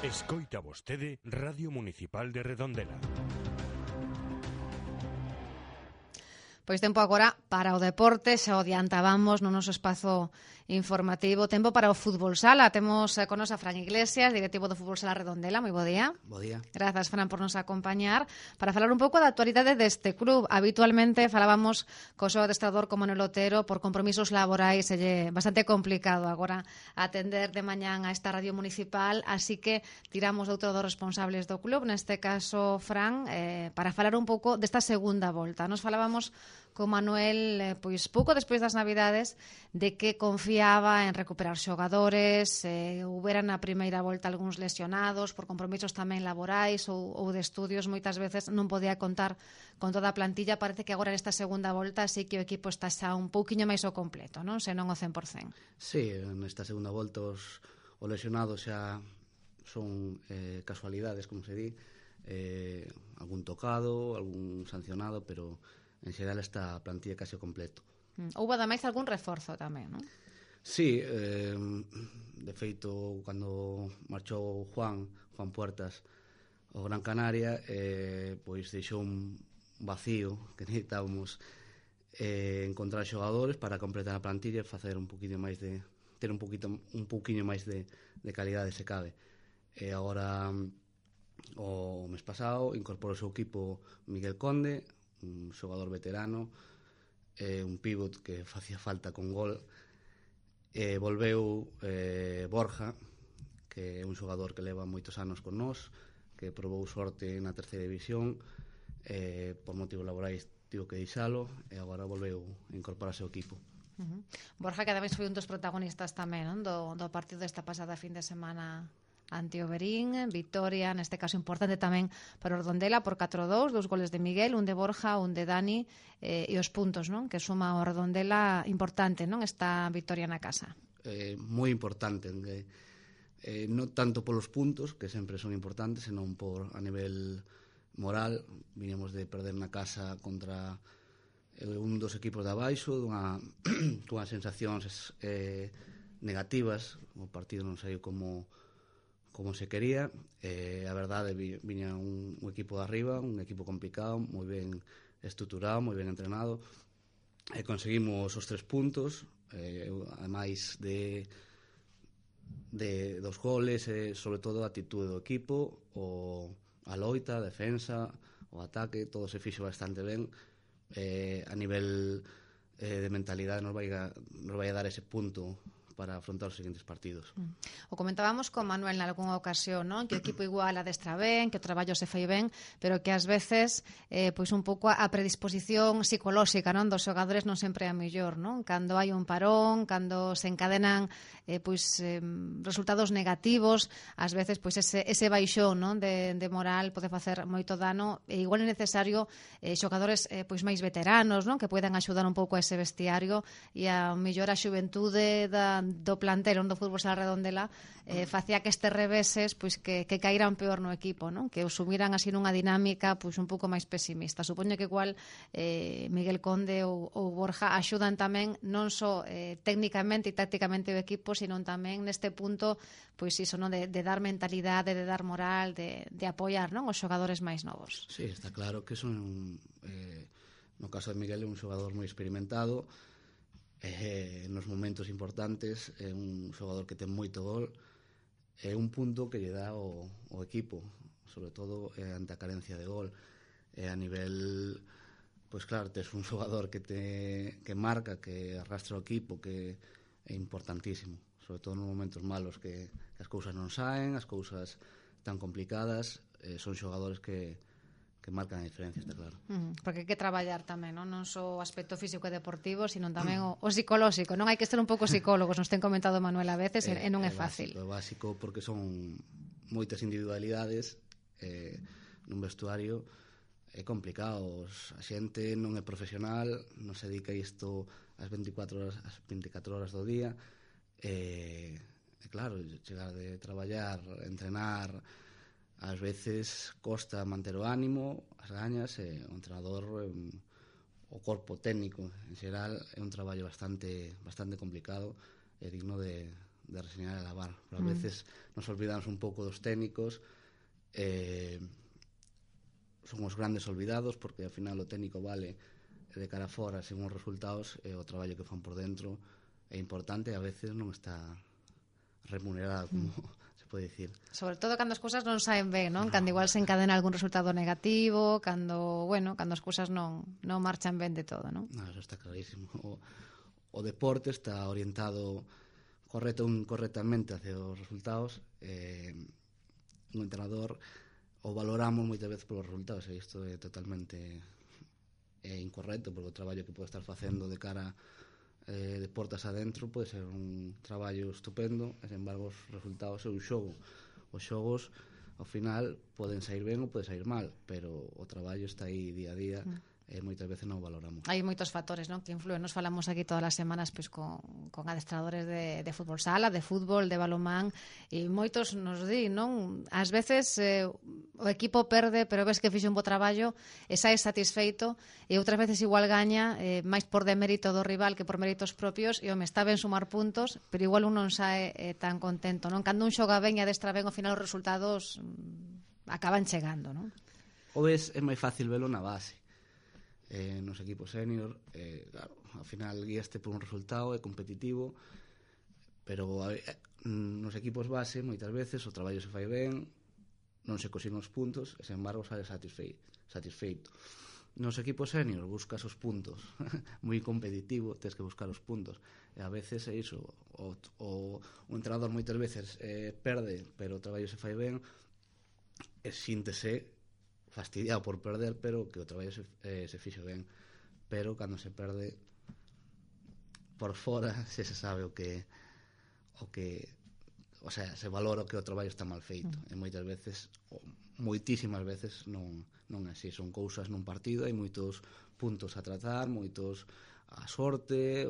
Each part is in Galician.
Escoita vostede Radio Municipal de Redondela. Pois tempo agora para o deporte, xa o adiantábamos no noso espazo informativo. Tempo para o fútbol sala. Temos con nos a Fran Iglesias, directivo do fútbol sala Redondela. Moi bo día. Bo día. Grazas, Fran, por nos acompañar para falar un pouco da actualidade deste club. Habitualmente falábamos co seu adestrador como Manuel Otero, por compromisos laborais é bastante complicado agora atender de mañán a esta radio municipal, así que tiramos de outro dos responsables do club, neste caso Fran, para falar un pouco desta segunda volta. Nos falábamos con Manuel, pois pouco despois das Navidades, de que confiaba en recuperar xogadores, houbera na primeira volta algúns lesionados por compromisos tamén laborais ou de estudios, moitas veces non podía contar con toda a plantilla. Parece que agora nesta segunda volta sí que o equipo está xa un pouquiño máis ao completo, non? Se non o 100%. Sí, nesta segunda volta os lesionados xa son casualidades, como se di, algún tocado, algún sancionado, pero en xeral esta plantilla case ao completo. Houve ademais algún reforzo tamén, non? Sí, de feito, cando marchou Juan Puertas ao Gran Canaria, pois deixou un vacío que necesitábamos encontrar xogadores para completar a plantilla e facer un poquinho máis de ter un poquinho máis de calidade, se cabe. E agora, o mes pasado, incorporou o seu equipo Miguel Conde, un xogador veterano, un pívot que facía falta con gol. Volveu Borja, que é un xogador que leva moitos anos con nós, que probou sorte na terceira división, por motivos laborais tivo que deixalo, e agora volveu a incorporarse ao equipo. Borja, que ademais foi un dos protagonistas tamén, non? Do partido desta pasada fin de semana ante o Verín, victoria, neste caso importante tamén para o Redondela por 4-2, 2 goles de Miguel, un de Borja, un de Dani, e os puntos, non? Que suma o Redondela importante, non? Esta victoria na casa. Moi importante, non tanto polos puntos, que sempre son importantes, senón por a nivel moral. Viñamos de perder na casa contra un dos equipos de abaixo, dunhas sensacións negativas. O partido non saiu como se quería. A verdade, viña un equipo de arriba, un equipo complicado, moi ben estruturado, moi ben entrenado, e conseguimos os 3 puntos, ademais dos goles, sobre todo a actitude do equipo, a loita, a defensa, o ataque, todo se fixo bastante ben. A nivel de mentalidade nos vai a dar ese punto para afrontar os seguintes partidos. O comentábamos con Manuel nalgúnha ocasión, non? Que o equipo igual adestra ben, que o traballo se fai ben, pero que ás veces pois un pouco a predisposición psicolóxica, non, dos xogadores non sempre é a mellor, non? Cando hai un parón, cando se encadenan resultados negativos, ás veces pois ese baixón, non, de moral pode facer moito dano, e igual é necesario xogadores pois máis veteranos, non, que poidan axudar un pouco a ese vestiario, e a mellor a xuventude do plantel do fútbol sala Redondela facía que estes reveses pois que caíran peor no equipo, non? Que os sumiran así nunha dinámica pois un pouco máis pesimista. Supoño que igual Miguel Conde ou Borja axudan tamén non só técnicamente e tácticamente o equipo, sino tamén neste punto pois iso, non, de dar mentalidade, de dar moral, de apoiar, non, os xogadores máis novos. Sí, está claro que son no caso de Miguel é un xogador moi experimentado, nos momentos importantes, é un xogador que ten moito gol, é un punto que lle dá o equipo, sobre todo ante a carencia de gol. A nivel, pois claro, tes un xogador que marca, que arrastra o equipo, que é importantísimo, sobre todo nos momentos malos, que as cousas non saen, as cousas tan complicadas. Son xogadores que marcan a diferencia, está claro. Porque hai que traballar tamén, non só o aspecto físico e deportivo, sino tamén o psicolóxico, non? Hai que ser un pouco psicólogos, nos ten comentado Manuel a veces, e non é fácil. É básico porque son moitas individualidades nun vestuario, é complicado. A xente non é profesional, non se dedica a isto as 24 horas do día, e claro, chegar de traballar, entrenar, ás veces costa manter o ánimo, as gañas, e o entrenador, o corpo técnico en xeral, é un traballo bastante complicado e digno de de reseñar e lavar. Pero a veces nos olvidamos un pouco dos técnicos, son os grandes olvidados, porque ao final o técnico vale de cara fora según os resultados, e o traballo que fan por dentro é importante e a veces non está remunerado, como se pode dicir. Sobre todo cando as cousas non saen ben, non? Cando igual se encadena algún resultado negativo, cando as cousas non marchan ben de todo, non? No, eso está clarísimo. O deporte está orientado correctamente hacia os resultados. Un entrenador o valoramos moitas veces polos resultados, e isto é totalmente incorrecto, porque o traballo que pode estar facendo de cara de portas adentro pode ser un traballo estupendo, e sen embargo os resultados é un xogo. Os xogos ao final poden sair ben ou poden sair mal, pero o traballo está aí día a día e moitas veces non o valoramos. Hai moitos factores, non, que influen. Nos falamos aquí todas as semanas pois con adestradores de fútbol sala, de fútbol, de balonmán, e moitos nos di, non? Ás veces o equipo perde, pero ves que fixe un bo traballo e sae satisfeito, e outras veces igual gaña máis por demérito do rival que por méritos propios, e home, está ben sumar puntos, pero igual un non sae tan contento, non? Cando un xoga ben e adestra ben, ao final os resultados acaban chegando, non? O ves, é máis fácil velo na base. Nos equipos senior, claro, ao final guíaste por un resultado, é competitivo, pero nos equipos base moitas veces o traballo se fai ben, non se consiguen os puntos e sen embargo sale satisfeito. Nos equipos senior buscas os puntos, moi competitivo, tens que buscar os puntos, e a veces é iso, o entrenador moitas veces perde, pero o traballo se fai ben, e síntese fastidiado por perder, pero que o traballo se fixo ben. Pero cando se perde por fora, se sabe o sea, se valora que o traballo está mal feito. E moitas veces, moitísimas veces, non é así. Son cousas nun partido, hai moitos puntos a tratar, a sorte,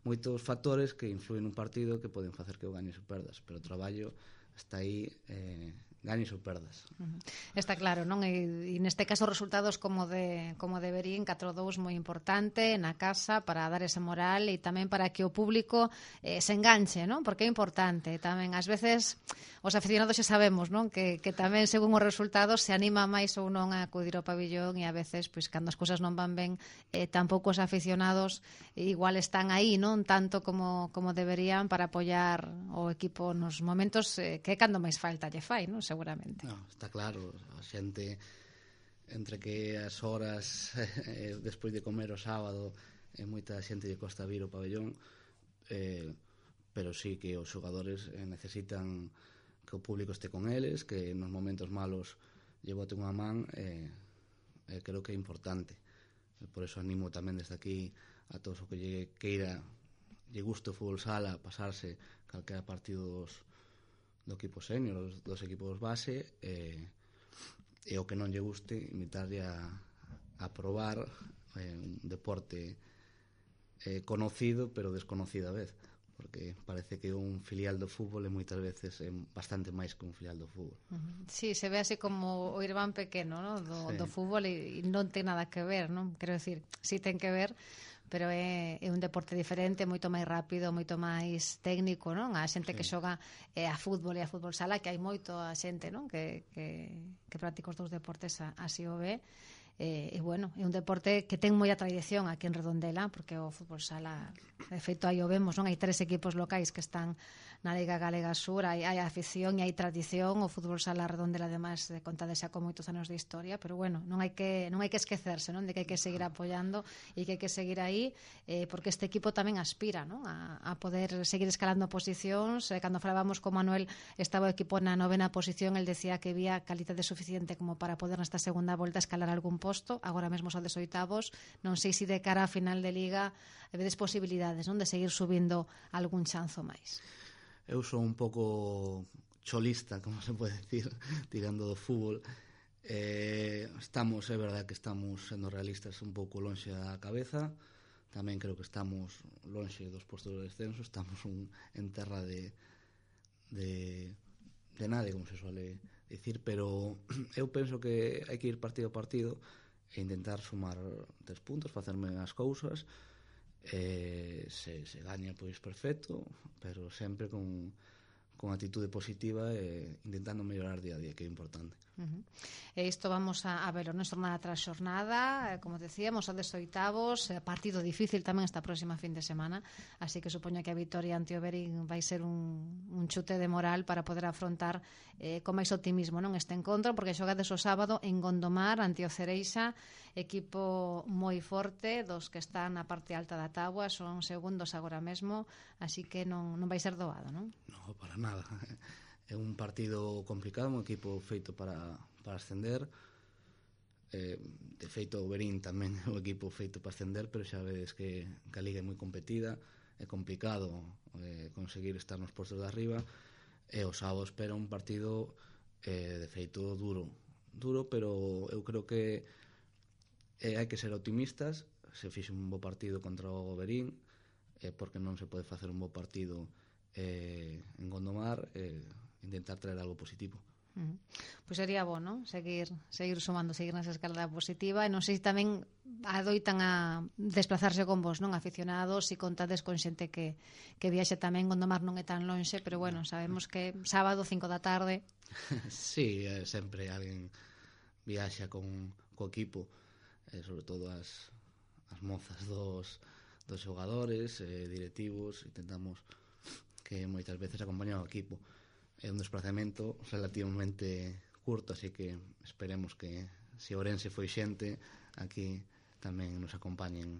moitos factores que influen nun partido que poden facer que o gañes ou perdas, pero o traballo está aí, gañes ou perdas. Está claro, non? E neste caso os resultados como deberían, 4-2 moi importante na casa para dar ese moral e tamén para que o público se enganche, non? Porque é importante tamén. Ás veces os aficionados xa sabemos, non? Que tamén según os resultados se anima máis ou non a acudir ao pabillón, e a veces, pois, cando as cousas non van ben, tampouco os aficionados igual están aí, non? Tanto como deberían para apoiar o equipo nos momentos que é cando máis falta lle fai, non? Seguramente. No, está claro, a xente entre que as horas despois de comer o sábado moita xente lle costa vir ao pabellón, pero sí que os xogadores necesitan que o público este con eles, que nos momentos malos lle boten unha man, creo que é importante. Por eso animo tamén desde aquí a todos o que lle queira, lle guste o fútbol sala, pasarse calquera partido do equipo senior, dos equipos base, e o que non lle guste, invitarlle a probar un deporte conocido pero desconocido a vez, porque parece que un filial do fútbol moitas veces é bastante máis que un filial do fútbol. Sí, se ve así como o irmán pequeno, ¿no? do fútbol, e non ten nada que ver, non? Quero decir, sí ten que ver, pero é un deporte diferente, moito máis rápido, moito máis técnico, non? A xente que xoga a fútbol e a fútbol sala, que hai moito a xente, non? Que practica os dous deportes así o ve. E bueno, é un deporte que ten moita tradición aquí en Redondela, porque o fútbol sala, de feito, aí o vemos, non? Hai 3 equipos locais que están na Liga Galega Sur, hai afición e hai tradición. O fútbol sala Redondela, además, conta xa con moitos anos de historia, pero bueno, non hai que esquecerse, non? De que hai que seguir apoiando e que hai que seguir aí, porque este equipo tamén aspira, non? A poder seguir escalando posicións. Cando falábamos con Manuel, estaba o equipo na 9ª posición, el decía que había calidade suficiente como para poder nesta segunda volta escalar algún posto. Agora mesmo son 18avos, non sei se de cara a final de Liga vedes posibilidades, non? De seguir subindo algún chanzo máis. Eu sou un pouco cholista, como se pode decir, tirando do fútbol. É verdad que estamos sendo realistas un pouco lonxe da cabeza. Tamén creo que estamos lonxe dos postos de descenso. Estamos en terra de nadie, como se suele dicir, pero eu penso que hai que ir partido a partido e intentar sumar 3 puntos, facerme as cousas se gaña pois perfecto, pero sempre con actitude positiva e intentando mellorar día a día, que é importante. E isto vamos a verlo, non, xornada tras xornada, como decíamos, a 18avos, partido difícil tamén esta próxima fin de semana, así que supoño que a vitoria ante o Verín vai ser un chute de moral para poder afrontar con máis optimismo, non, este encontro, porque xogades o sábado en Gondomar ante o Cereixa, equipo moi forte, dos que están na parte alta da táboa, son segundos agora mesmo, así que non vai ser doado, non? No, para nada. É un partido complicado, un equipo feito para ascender. De feito, o Verín tamén é un equipo feito para ascender, pero xa vedes que a liga é moi competida, é complicado conseguir estar nos postos de arriba, e o sábado espera un partido de feito duro, pero eu creo que hai que ser optimistas. Se fixe un bo partido contra o Verín, porque non se pode facer un bo partido en Gondomar, intentar traer algo positivo. Pois sería bo, non? Seguir sumando, seguir nesa escalada positiva, e non sei se tamén adoitan a desplazarse con vos, non, aficionados, e contades con xente que viaxe tamén. Gondomar non é tan lonxe, pero bueno, sabemos que sábado 5 da tarde. Sí, sempre alguén viaxa co equipo, sobre todo as mozas dos xogadores, directivos. Intentamos que moitas veces acompañan ao equipo. É un desplazamento relativamente curto, así que esperemos que se Ourense foi xente, aquí tamén nos acompañen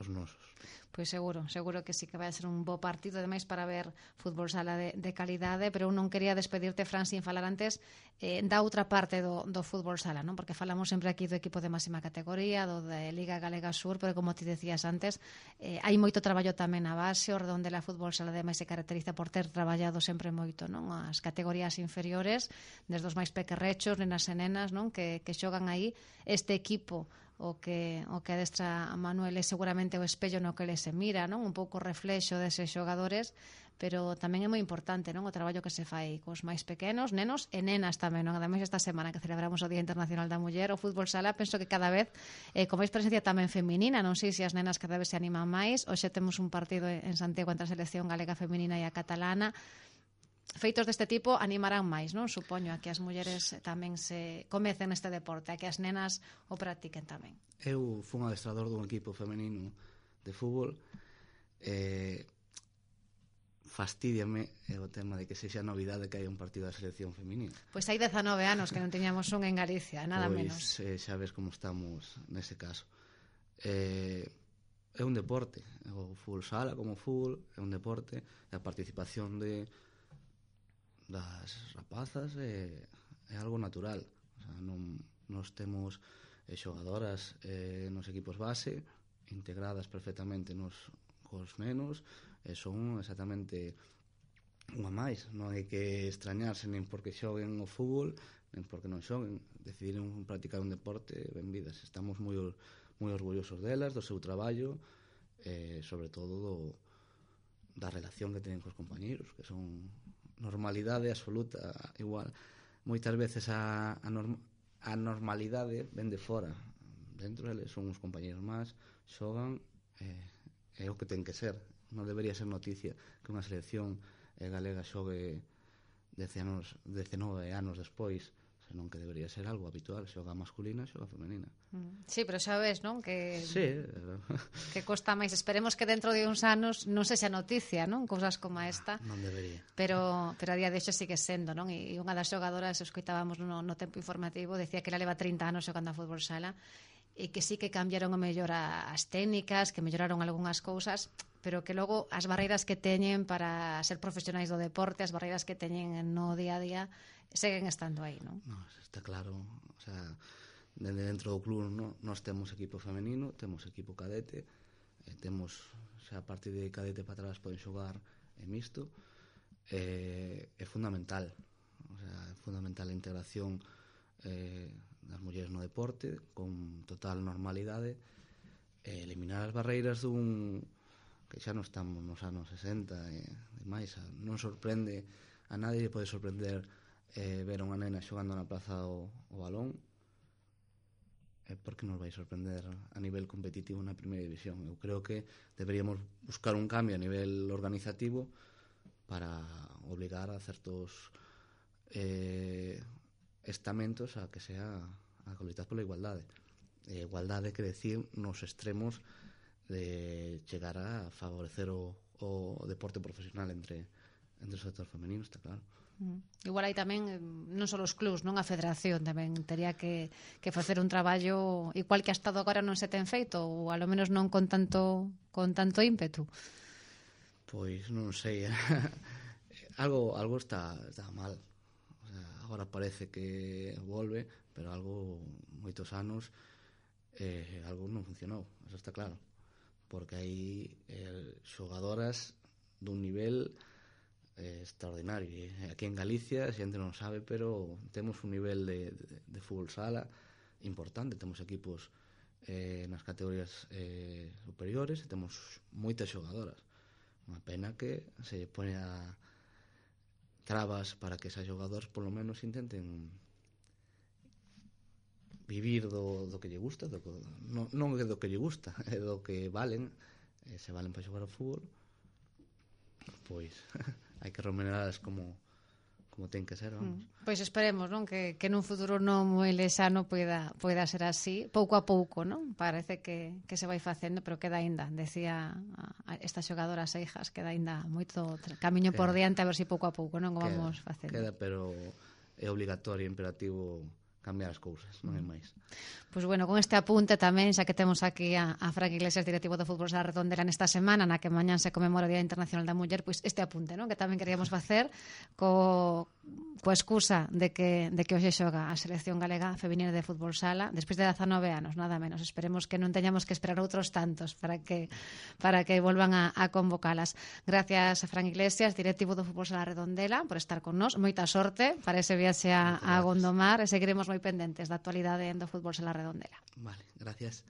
os nosos. Pois seguro que sí que vai ser un bo partido, ademais para ver fútbol sala de calidade, pero eu non quería despedirte, Fran, sin falar antes da outra parte do fútbol sala, non? Porque falamos sempre aquí do equipo de máxima categoría, do de Liga Galega Sur, pero como ti decías antes, hai moito traballo tamén na base. O Redondela Fútbol Sala ademais se caracteriza por ter traballado sempre moito, non, as categorías inferiores, desde os máis pequerrechos, nenas e nenas, non, que xogan aí. Este equipo o que adestra a Manuel é seguramente o espello no que ele se mira, non? Un pouco reflexo deses xogadores, pero tamén é moi importante, non, o traballo que se fai cos máis pequenos, nenos e nenas tamén, non? Ademais, esta semana que celebramos o Día Internacional da Muller, o fútbol sala penso que cada vez con máis presencia tamén feminina. Non sei se as nenas cada vez se animan máis. Hoxe temos un partido en Santiago entre a selección galega feminina e a catalana. Feitos deste tipo animarán máis, non? Supoño a que as mulleres tamén se comecen neste deporte, a que as nenas o practiquen tamén. Eu fui un adestrador dun equipo femenino de fútbol. Fastidiame o tema de que sexa novidade que hai un partido da selección femenina. Pois hai 19 anos que non teñamos un en Galicia, nada menos. Xa ves como estamos nese caso. É un deporte, o fútbol sala como fútbol é un deporte, e a participación das rapazas é algo natural. O sea, nos temos xogadoras nos equipos base integradas perfectamente cos nenos, e son exactamente unha máis. Non hai que extrañarse nin porque xoguen o fútbol nin porque non xoguen. Decidiron practicar un deporte, benvidas. Estamos moi orgullosos delas, do seu traballo, sobre todo da relación que teñen cos compañeros, que son normalidade absoluta. Igual moitas veces a normalidade ven de fora, dentro deles son uns compañeros máis, xogan, é o que ten que ser. Non debería ser noticia que unha selección galega xogue 19 anos despois, senón que debería ser algo habitual. Xoga masculina, xoga femenina. Sí, pero xa ves, non? Que sí. Que costa máis. Esperemos que dentro de uns anos non sexa noticia, non? Cousas como esta. Non debería. Pero a día de hecho sigue sendo, non? E unha das xogadoras, escoitábamos no tempo informativo, decía que ela leva 30 anos xogando a fútbol sala, e que sí que cambiaron o mellor as técnicas, que melloraron algunhas cousas, pero que logo as barreiras que teñen para ser profesionais do deporte, as barreiras que teñen no día a día, seguen estando aí, non? No, está claro. O sea, dentro do club nós temos equipo femenino, temos equipo cadete, temos, xa a partir de cadete para atrás poden xogar mixto. É fundamental. O sea, é fundamental a integración das mulleres no deporte con total normalidade, eliminar as barreiras que xa non estamos nos anos 60 e demais. Non sorprende a nadie, pode sorprender ver a unha nena xogando na plaza o balón, por que nos vai sorprender a nivel competitivo na primeira división. Eu creo que deberíamos buscar un cambio a nivel organizativo para obligar a certos estamentos a que sea a loitar pola igualdade. Igualdade quere decir nos extremos de chegar a favorecer o deporte profesional entre o sector femenino, está claro. Igual aí tamén non só os clubs, non a federación tamén tería que facer un traballo igual que ha estado agora non se ten feito ou a lo menos non con tanto ímpetu. Pois non sei. algo está mal. O sea, agora parece que volve, pero algo moitos anos algo non funcionou, eso está claro. Porque hai xogadoras dun nivel extraordinario. Aquí en Galicia, a xente non sabe, pero temos un nivel de fútbol sala importante. Temos equipos nas categorías superiores e temos moitas xogadoras. Unha pena que se pone a trabas para que esas xogadoras polo menos intenten vivir do que lle gusta, non é do que lle gusta, é do que valen. Se valen para xogar ao fútbol, pois hai que remuneralas como ten que ser, vamos. Pois esperemos, non, que nun futuro non moi lexano poida ser así, pouco a pouco, non? Parece que se vai facendo, pero queda aínda, decía estas xogadoras e hijas, queda aínda moito camiño por diante, a ver se pouco a pouco, non, vamos facendo. Queda, pero é obligatorio, imperativo cambiar as cousas, non é máis. Pois bueno, con este apunte tamén, xa que temos aquí a Fran Iglesias, directivo do Fútbol Sala Redondela nesta semana, na que mañán se conmemora o Día Internacional da Muller, pois este apunte, non, que tamén queríamos facer coa excusa de que hoxe xoga a selección galega feminina de fútbol sala despois de 19 anos, nada menos. Esperemos que non teñamos que esperar outros tantos para que volvan a convocalas. Gracias a Fran Iglesias, directivo do Fútbol Sala Redondela, por estar con nós. Moita sorte para ese viaxe a Gondomar e seguiremos moi pendentes da actualidade do Fútbol Sala Redondela. Vale, gracias.